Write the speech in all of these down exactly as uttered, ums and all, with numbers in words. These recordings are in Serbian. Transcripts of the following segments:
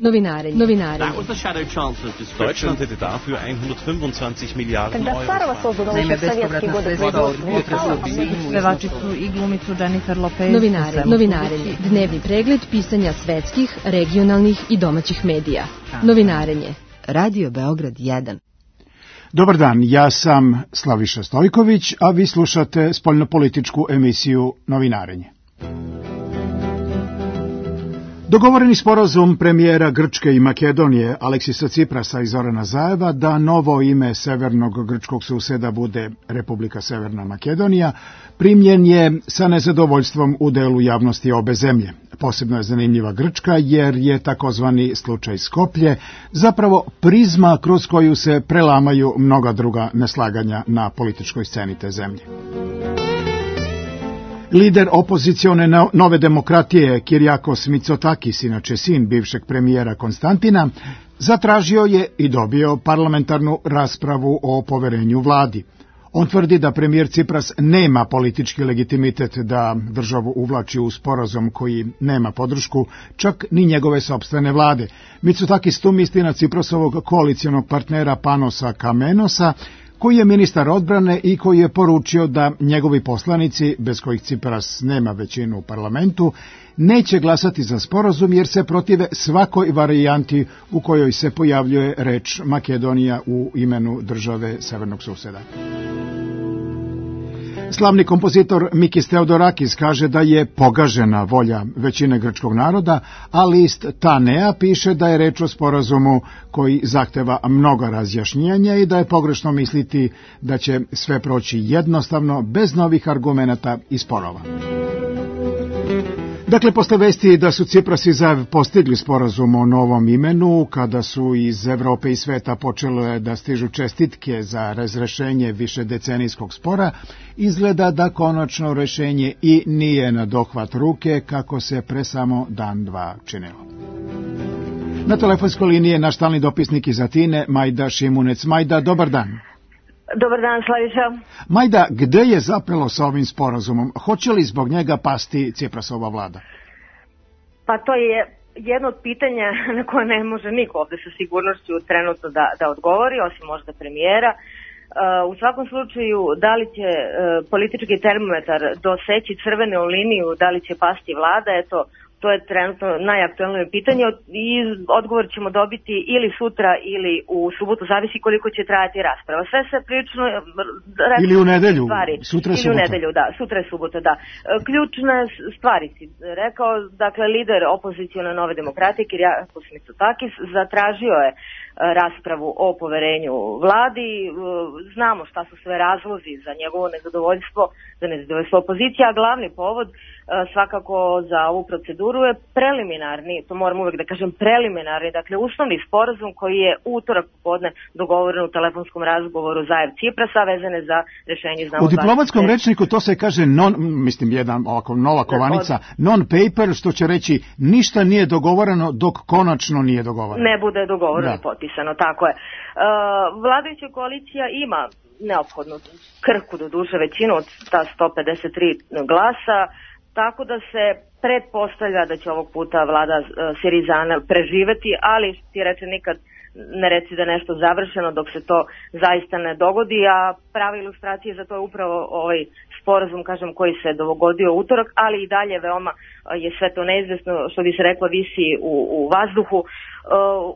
Novinarenje. Novinarenje. Deutschland hätte dafür hundertfünfundzwanzig Miliarden Euro. Naime, bespovratna sredstva od pevačicu i glumicu Jennifer Lopez. Novinarenje. Novinarenje. Dnevni pregled pisanja svetskih, regionalnih i domaćih medija. Novinarenje. Radio Beograd jedan. Dobar dan, ja sam Slaviša Stojković, a vi slušate spoljnopolitičku emisiju Novinarenje. Dogovoreni sporazum premijera Grčke i Makedonije Aleksisa Ciprasa i Zorana Zaeva da novo ime severnog grčkog suseda bude Republika Severna Makedonija primljen je sa nezadovoljstvom u delu javnosti obe zemlje. Posebno je zanimljiva Grčka jer je takozvani slučaj Skoplje zapravo prizma kroz koju se prelamaju mnoga druga neslaganja na političkoj sceni te zemlje. Lider opozicione Nove demokratije Kirjakos Mitsotakis, inače sin bivšeg premijera Konstantina, zatražio je i dobio parlamentarnu raspravu o poverenju vladi. On tvrdi da premijer Cipras nema politički legitimitet da državu uvlači u sporazum koji nema podršku, čak ni njegove sopstvene vlade. Mitsotakis tu misli na Ciprasovog koalicijonog partnera Panosa Kamenosa, koji je ministar odbrane i koji je poručio da njegovi poslanici, bez kojih Cipras nema većinu u parlamentu, neće glasati za sporazum jer se protive svakoj varijanti u kojoj se pojavljuje reč Makedonija u imenu države severnog suseda. Slavni kompozitor Mikis Theodorakis kaže da je pogažena volja većine grčkog naroda, a list Tanea piše da je reč o sporazumu koji zahteva mnoga razjašnjenja i da je pogrešno misliti da će sve proći jednostavno, bez novih argumenata i sporova. Dakle, posle vesti da su Cipras i Zaev postigli sporazum o novom imenu, kada su iz Evrope i sveta počele da stižu čestitke za razrešenje višedecenijskog spora, izgleda da konačno rešenje i nije na dohvat ruke, kako se pre samo dan dva činilo. Na telefonskoj liniji je naš stalni dopisnik iz Atine, Majda Šimunec. Majda, dobar dan. Dobar dan, Slaviša. Majda, gde je zapelo sa ovim sporazumom? Hoće li zbog njega pasti Ciprasova vlada? Pa to je jedno od pitanja na koje ne može niko ovde sa sigurnošću trenutno da, da odgovori, osim možda premijera. Uh, u svakom slučaju, da li će uh, politički termometar doseći crvenu liniju, da li će pasti vlada, eto, to je trenutno najaktuelnije pitanje i odgovor ćemo dobiti ili sutra ili u subotu, zavisi koliko će trajati rasprava. Sve se prilično... Ili u nedelju, stvari. sutra je ili subota. U nedelju, da, sutra je subota, da. Ključne stvari si rekao, dakle, lider opozicione Nove demokratije, Kirjakos Mitsotakis, zatražio je raspravu o poverenju vladi. Znamo šta su sve razlozi za njegovo nezadovoljstvo, za nezadovoljstvo opozicija, a glavni povod svakako za ovu proceduru je preliminarni, to moram uvek da kažem preliminarni, dakle uslovni sporazum koji je utorak popodne dogovoren u telefonskom razgovoru Zaev Ciprasa vezane za rešenje. U diplomatskom rečniku to se kaže non, mislim jedan ovako nova kovanica, non-paper, što će reći ništa nije dogovoreno dok konačno nije dogovoreno. Ne bude dogovoreno i potpisano, tako je. Uh, vladajuća koalicija ima neophodnu krhku do duše većinu od ta sto pedeset tri glasa, tako da se pretpostavlja da će ovog puta vlada uh, Sirizana preživeti, ali ti reče nikad ne reci da nešto završeno dok se to zaista ne dogodi, a prava ilustracija za to je upravo ovaj sporazum, kažem, koji se dogodio u utorak, ali i dalje veoma je sve to neizvesno, što bi se reklo, visi u, u vazduhu. Uh,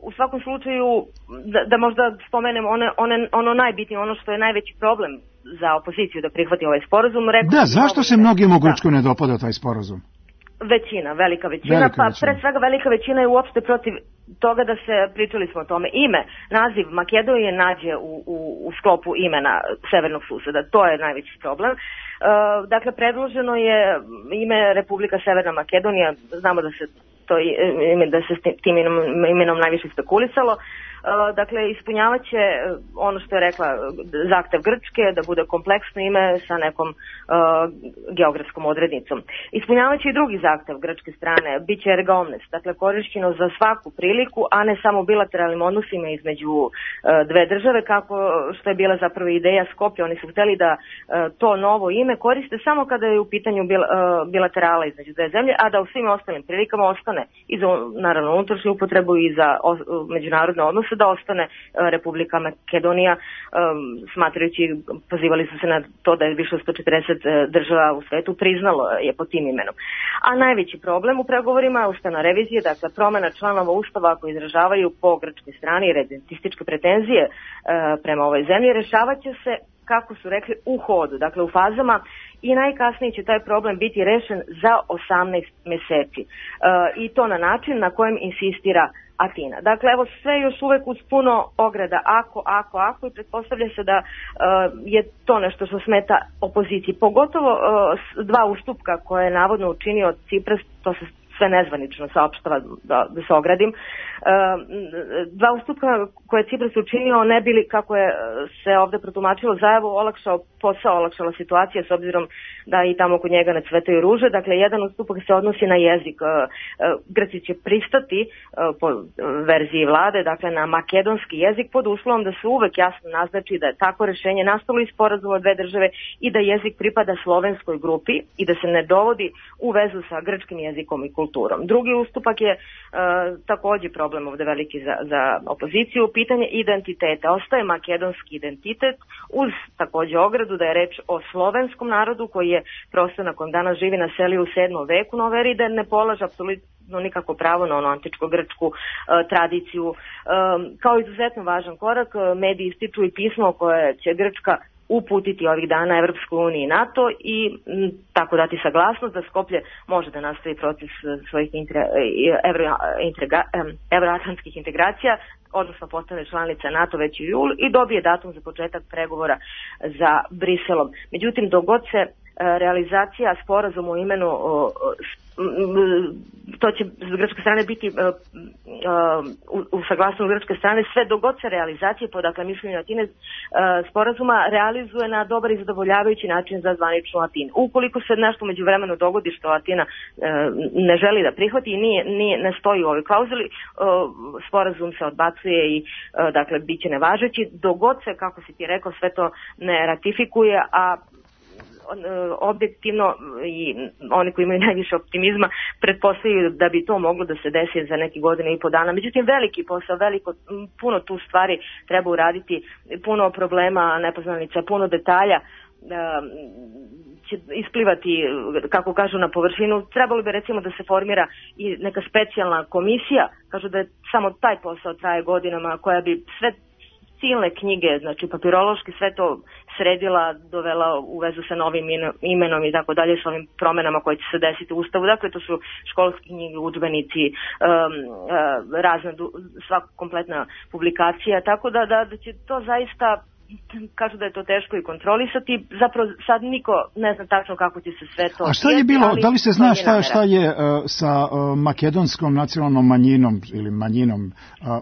u svakom slučaju, da, da možda spomenem one, one, ono najbitnije, ono što je najveći problem za opoziciju da prihvati ovaj sporazum. Rekao da, zašto se mnogim u Grčkoj ne dopada taj sporazum? Većina, velika većina, velika pa većina. Pre svega velika većina je uopšte protiv toga da se, pričali smo o tome, ime, naziv Makedonije nađe u, u, u sklopu imena severnog suseda, to je najveći problem. Uh, dakle, predloženo je ime Republika Severna Makedonija, znamo da se to ime, da se s tim imenom, imenom najviše spekulisalo. Dakle, ispunjavaće ono što je rekla zahtev Grčke, da bude kompleksno ime sa nekom geografskom odrednicom. Ispunjavaće i drugi zahtev grčke strane, bit će erga omnes, dakle korišćeno za svaku priliku, a ne samo bilateralnim odnosima između dve države, kako što je bila zapravo ideja Skoplja. Oni su hteli da to novo ime koriste samo kada je u pitanju bilaterala između dve zemlje, a da u svim ostalim prilikama ostane i za, naravno, unutrašnju upotrebu i za međunarodne odnose da ostane Republika Makedonija, smatrajući, pozivali su se na to da je više od sto četrdeset država u svetu priznalo je pod tim imenom. A najveći problem u pregovorima je ustavna revizija, dakle promena članova ustava koji izražavaju po grčkoj strani redentističke pretenzije prema ovoj zemlji, rešavat će se, kako su rekli, u hodu, dakle u fazama, i najkasnije će taj problem biti rešen za osamnaest meseci. E, I to na način na kojem insistira Atina. Dakle, evo sve još uvek uz puno ograda, ako, ako, ako, i pretpostavlja se da uh, je to nešto što smeta opoziciji. Pogotovo uh, dva ustupka koje je navodno učinio Cipras, to se sve nezvanično saopštava, da, da se ogradim. Uh, dva ustupka koje je Cipras učinio ne bili, kako je se ovde protumačilo, zajavu olakšao posao, olakšala situacija, s obzirom da i tamo kod njega ne cvetaju ruže. Dakle, jedan ustupak se odnosi na jezik. Uh, Grci će pristati uh, po verziji vlade, dakle na makedonski jezik, pod uslovom da se uvek jasno naznači da je tako rešenje nastalo iz sporazuma dve države i da jezik pripada slovenskoj grupi i da se ne dovodi u vezu sa grčkim jezikom i kulturom. Drugi ustupak je uh, takođe problem ovde veliki za, za opoziciju, pitanje identiteta. Ostaje makedonski identitet uz takođe ogradu da je reč o slovenskom narodu koji je prostor na kojem danas živi na seli u sedmom veku nove ere i da ne polaže apsolutno nikako pravo na ono antičko-grčku uh, tradiciju. Um, kao izuzetno važan korak, mediji ističu i pismo koje će Grčka uputiti ovih dana Evropskoj uniji i NATO i m, tako dati saglasnost da Skoplje može da nastavi proces svojih intre, evro, integra, evroatlantskih integracija, odnosno postane članica NATO već u julu i dobije datum za početak pregovora za Briselom. Međutim, dok god se realizacija sporazuma u imenu, to će s grčke strane biti u saglasnosti grčke strane sve dok god se realizacije po, dakle, mišljenju Atine sporazuma realizuje na dobar i zadovoljavajući način za zvaničnu Atinu. Ukoliko se nešto međuvremenu dogodi što Atina ne želi da prihvati i nije, nije, ne stoji u ovoj klauzuli, sporazum se odbacuje i, dakle, bit će nevažeći dok god se, kako si ti rekao, sve to ne ratifikuje, a objektivno i oni koji imaju najviše optimizma pretpostavljaju da bi to moglo da se desi za neke godine i po dana. Međutim, veliki posao, veliko, puno tu stvari treba uraditi, puno problema, nepoznanica, puno detalja će isplivati, kako kažu, na površinu. Trebalo bi recimo da se formira i neka specijalna komisija, kažu da je samo taj posao traje godinama, koja bi sve silne knjige, znači papirološki sve to sredila, dovela u vezu sa novim imenom i tako dalje, sa ovim promenama koje će se desiti u Ustavu. Dakle, to su školske knjige, udžbenici, um, uh, razna, sva kompletna publikacija, tako da, da, da će to zaista, kažu da je to teško i kontrolisati, zapravo sad niko ne zna tačno kako će se sve to... A šta je bilo, da li se zna šta, šta je uh, sa uh, makedonskom nacionalnom manjinom ili manjinom uh,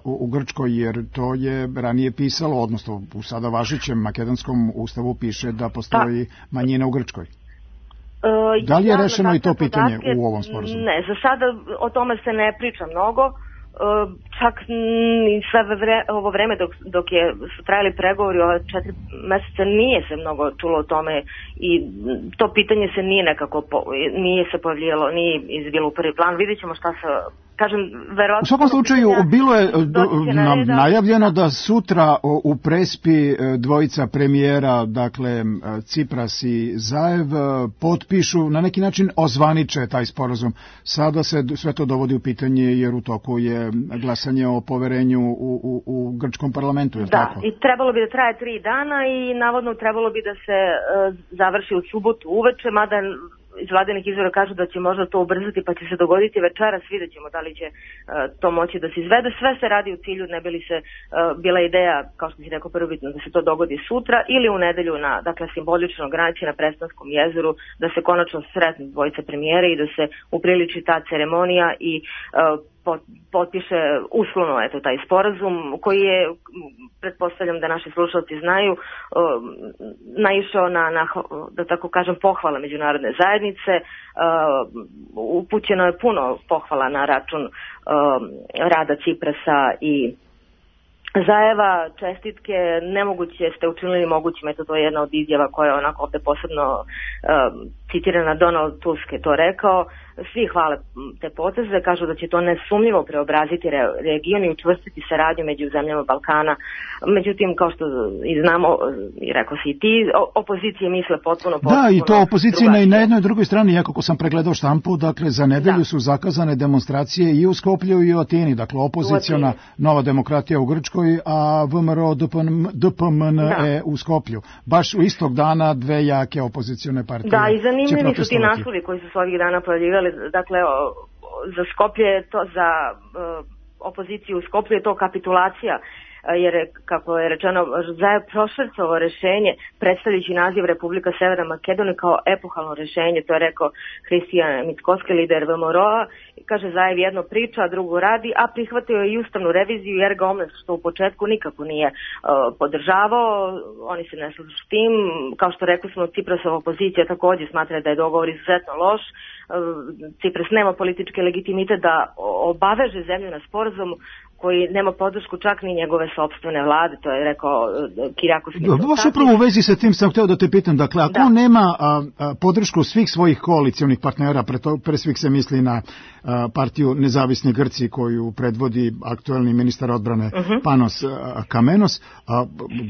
u, u Grčkoj, jer to je ranije pisalo, odnosno u sada važećem makedonskom ustavu piše da postoji pa, manjina u Grčkoj? Uh, da li je rešeno i to pitanje podatke, u ovom sporazumu? Ne, za sada o tome se ne priča mnogo. Uh, čak i sve vre, ovo vreme dok, dok je, su trajali pregovori ova četiri meseca nije se mnogo čulo o tome i to pitanje se nije nekako po, nije se pojavljalo, nije izbilo u prvi plan. Vidjet ćemo šta se, kažem, verovatno... U svakom slučaju bilo je nam najavljeno da sutra u Prespi dvojica premijera, dakle Cipras i Zaev, potpišu, na neki način ozvaniče taj sporazum. Sada se sve to dovodi u pitanje jer u toku je glasanje o poverenju u, u, u grčkom parlamentu, je li da, tako? Da, i trebalo bi da traje tri dana i navodno trebalo bi da se uh, završi u subotu uveče, mada iz vladinih izvora kažu da će možda to ubrzati pa će se dogoditi večeras, vidjet ćemo da li će uh, to moći da se izvede. Sve se radi u cilju, ne bi li se uh, bila ideja, kao što si rekao prvobitno, da se to dogodi sutra ili u nedelju na, dakle, simboličnoj granici na Predstavskom jezeru, da se konačno sretnu dvojice premijere i da se upriliči ta ceremonija i uh, potpiše uslovno eto taj sporazum koji je, pretpostavljam da naši slušalci znaju, naišao na, na da tako kažem pohvala međunarodne zajednice. Upućeno je puno pohvala na račun rada Ciprasa i Zajeva, čestitke, nemoguće ste učinili mogućim, eto to je jedna od izjava koja je onako ovde posebno uh, citirana, Donald Tusk je to rekao. Svi hvale te poteze, kažu da će to nesumnjivo preobraziti re, region i učvrstiti saradnju među zemljama Balkana. Međutim, kao što i znamo, i rekao si i ti, opozicije misle potpuno potpuno. Da, i to opozicija na, na jednoj i drugoj strani, jako ko sam pregledao štampu, dakle za nedelju da. su zakazane demonstracije i u Skoplju i u Atini, dakle opoziciona Nova demokratija u Grčkoj, a V M R O D P M N E u Skoplju. Baš u istog dana dve jake opozicione partije. Da, i zanimljivi su ti naslovi koji su se ovih dana pojavljivali. Dakle, za Skoplje je to, za uh, opoziciju u Skoplju je to kapitulacija, jer je, kako je rečeno, Zajev prošvercovao rešenje predstavljajući naziv Republika Severna Makedonija kao epohalno rešenje, to je rekao Hristijan Mickoski, lider V M R O-a. Kaže, Zajev jedno priča, a drugo radi, a prihvatio je i ustavnu reviziju jer ga omnes, što u početku nikako nije uh, podržavao. Oni se ne slažu s tim. Kao što rekli smo, Ciprasova opozicija takođe smatra da je dogovor izuzetno loš. Cipras nema politički legitimitet da obaveže zemlju na sporazum koji nema podršku čak ni njegove sopstvene vlade, to je rekao Kirijakos Mitsotakis. Baš upravo u vezi sa tim sam hteo da te pitam, dakle, ako da. nema a, a, podršku svih svojih koalicionih partnera, pre, to, pre svih se misli na a, partiju Nezavisni Grci koju predvodi aktuelni ministar odbrane uh-huh. Panos a, Kamenos, a,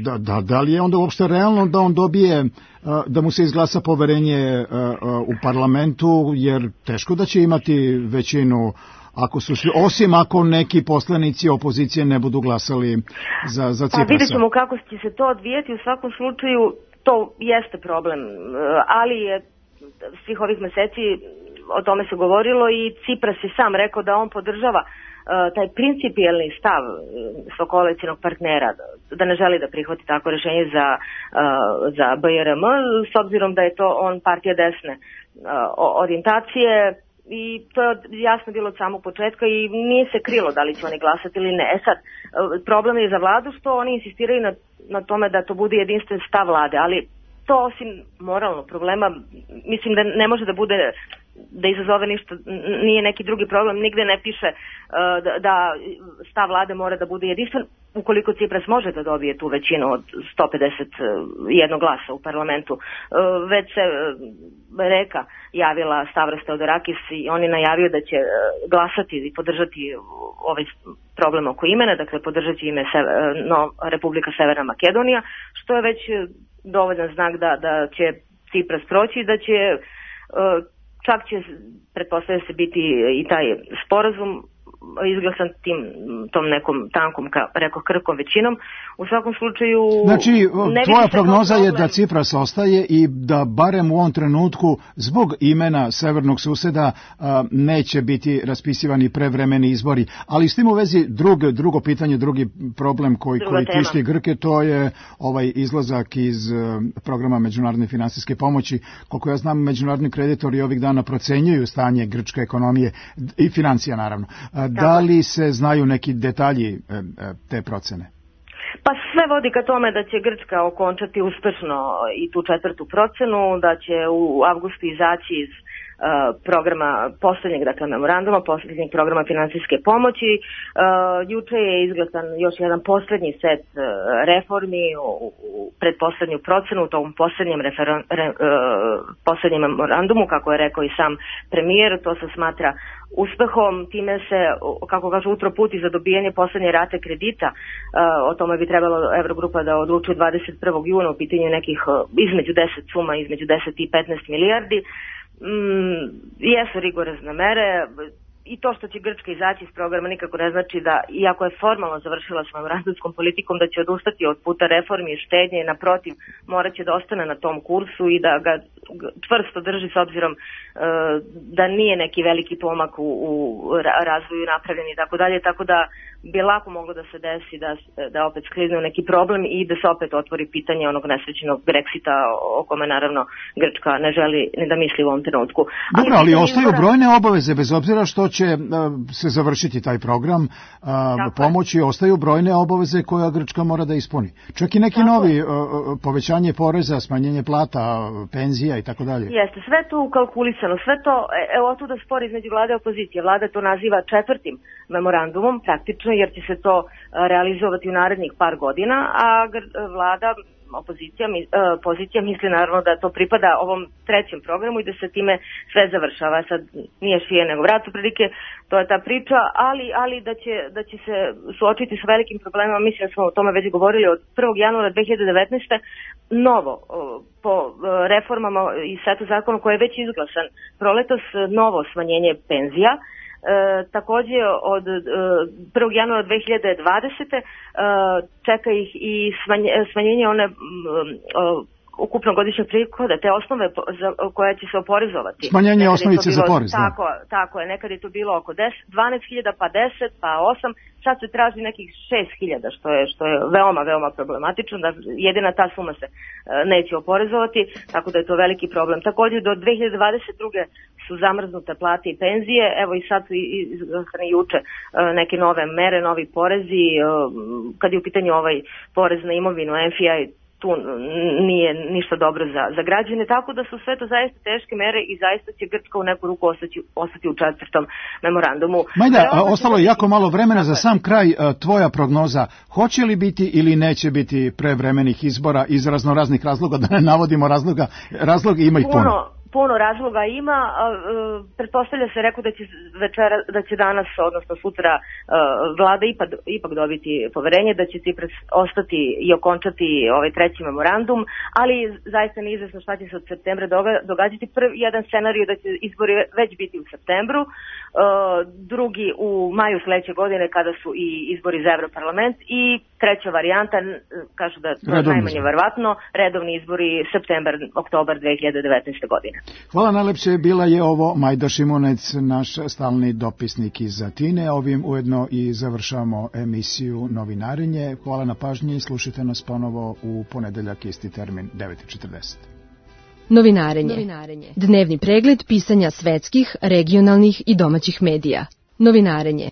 da, da, da li je onda uopšte realno da on dobije, a, da mu se izglasa poverenje a, a, u parlamentu, jer teško da će imati većinu ako su svi, osim ako neki poslanici opozicije ne budu glasali za, za Ciprasa. Pa vidjet ćemo kako će se to odvijeti, u svakom slučaju to jeste problem, ali je svih ovih meseci o tome se govorilo i Cipras je sam rekao da on podržava uh, taj principijelni stav svog koalicijnog partnera, da ne želi da prihvati tako rešenje za, uh, za B R M, s obzirom da je to on partija desne uh, orijentacije. I to je jasno bilo od samog početka i nije se krilo da li će oni glasati ili ne. E sad, problem je za vladu što oni insistiraju na, na tome da to bude jedinstven stav vlade, ali to osim moralnog problema, mislim da ne može da bude, da izazove ništa, nije neki drugi problem, nigde ne piše uh, da, da stav vlade mora da bude jedinstven, ukoliko Cipras može da dobije tu većinu od sto pedeset jedan glasa u parlamentu. Uh, već se uh, Reka javila, Stavros Theodorakis, i on je najavio da će uh, glasati i podržati ovaj problem oko imena, dakle podržati ime se, uh, no, Republika Severna Makedonija, što je već dovoljan znak da, da će Cipras proći i da će uh, čak će, pretpostavlja se, biti i taj sporazum izglasan tim, tom nekom tankom, ka, rekao, krkom većinom. U svakom slučaju... Znači, tvoja prognoza je da Cipras ostaje i da barem u ovom trenutku zbog imena severnog suseda a, neće biti raspisivani prevremeni izbori. Ali s tim u vezi drug, drugo pitanje, drugi problem koji, koji tišti Grke, to je ovaj izlazak iz a, programa međunarodne finansijske pomoći. Koliko ja znam, međunarodni kreditori ovih dana procenjuju stanje grčke ekonomije i financija, naravno. A, da li se znaju neki detalji e, e, te procene? Pa sve vodi ka tome da će Grčka okončati uspešno i tu četvrtu procenu, da će u avgustu izaći iz uh, programa poslednjeg, dakle memoranduma, poslednjeg programa finansijske pomoći. Uh, juče je izglasan još jedan poslednji set uh, reformi u, u predposlednju procenu, u tom poslednjem, referon, re, uh, poslednjem memorandumu, kako je rekao i sam premijer, to se smatra uspehom, time se, kako kažu, utro puti za dobijanje poslednje rate kredita. O tome bi trebalo Evrogrupa da odluči dvadeset prvog juna u pitanju nekih između deset suma, između deset i petnaest milijardi. Mm, jesu rigorozne mere i to što će Grčka izaći iz programa nikako ne znači da, iako je formalno završila s memorandumskom politikom, da će odustati od puta reformi i štednje, naprotiv, morat će da ostane na tom kursu i da ga čvrsto drži, s obzirom uh, da nije neki veliki pomak u, u razvoju napravljen i tako dalje, tako da bi lako moglo da se desi da, da opet sklizne u neki problem i da se opet otvori pitanje onog nesrećenog Brexita o kome naravno Grčka ne želi ni da misli u ovom trenutku. Dobro, ali, ali ostaju izbora... brojne obaveze, bez obzira što će uh, se završiti taj program uh, pomoći, ostaju brojne obaveze koje Grčka mora da ispuni. Čak i neki tako novi uh, povećanje poreza, smanjenje plata, penzija i tako dalje. Jeste, sve to ukalkulisano, sve to, evo tu da spor između vlade i opozicije. Vlada to naziva četvrtim memorandumom, praktično, jer će se to realizovati u narednih par godina, a vlada, opozicija, pozicija misli naravno da to pripada ovom trećem programu i da se time sve završava. Sad nije šije nego vrat, prilike, to je ta priča, ali, ali da, će, da će se suočiti s velikim problemima, mislim da smo o tome već govorili od prvog januara dve hiljade devetnaeste. Novo, po reformama i setu zakona koji je već izglasan proletos, novo smanjenje penzija. E, takođe od e, prvog januara dve hiljade dvadesete. E, čeka ih i smanje, smanjenje one e, ukupno godišnjeg prihoda, te osnove za, koja će se oporezovati. Smanjenje nekad osnovice bilo, za porez. Tako, tako je, nekad je to bilo oko deset, dvanaest hiljada, pa deset, pa osam, sad se traži nekih šest hiljada, što je, što je veoma, veoma problematično, da jedina ta suma se e, neće oporezovati, tako da je to veliki problem. Takođe do dve hiljade dvadeset druge su zamrznute plate i penzije, evo i sad su i, i, i juče e, neke nove mere, novi porezi, e, kad je u pitanju ovaj porez na imovinu, M F I, tu nije ništa dobro za, za građane, tako da su sve to zaista teške mere i zaista će Grčka u neku ruku ostati, ostati u četvrtom memorandumu. Majda, a, ostalo je jako malo vremena za sam kraj. Tvoja prognoza, hoće li biti ili neće biti prevremenih izbora iz raznoraznih razloga, da ne navodimo razloga, razloga ima ih puno. puno. Puno razloga ima, pretpostavlja se, rekao da će večera, da će danas, odnosno sutra, vlada ipak, ipak dobiti poverenje, da će Cipras ostati i okončati ovaj treći memorandum, ali zaista neizvesno šta će se od septembra događati. Prvi jedan scenarij da će izbori već biti u septembru, drugi u maju sledeće godine kada su i izbori za Evroparlament i treća varijanta, kažu da to je najmanje verovatno, redovni izbori septembar, oktobar dve hiljade devetnaeste. godine. Hvala najlepše, bila je ovo Majda Šimunec, naš stalni dopisnik iz Atine. Ovim ujedno i završavamo emisiju Novinarenje. Hvala na pažnji, slušajte nas ponovo u ponedeljak, isti termin, devet i četrdeset. Novinarenje. Novinarenje. Dnevni pregled pisanja svetskih, regionalnih i domaćih medija. Novinarenje.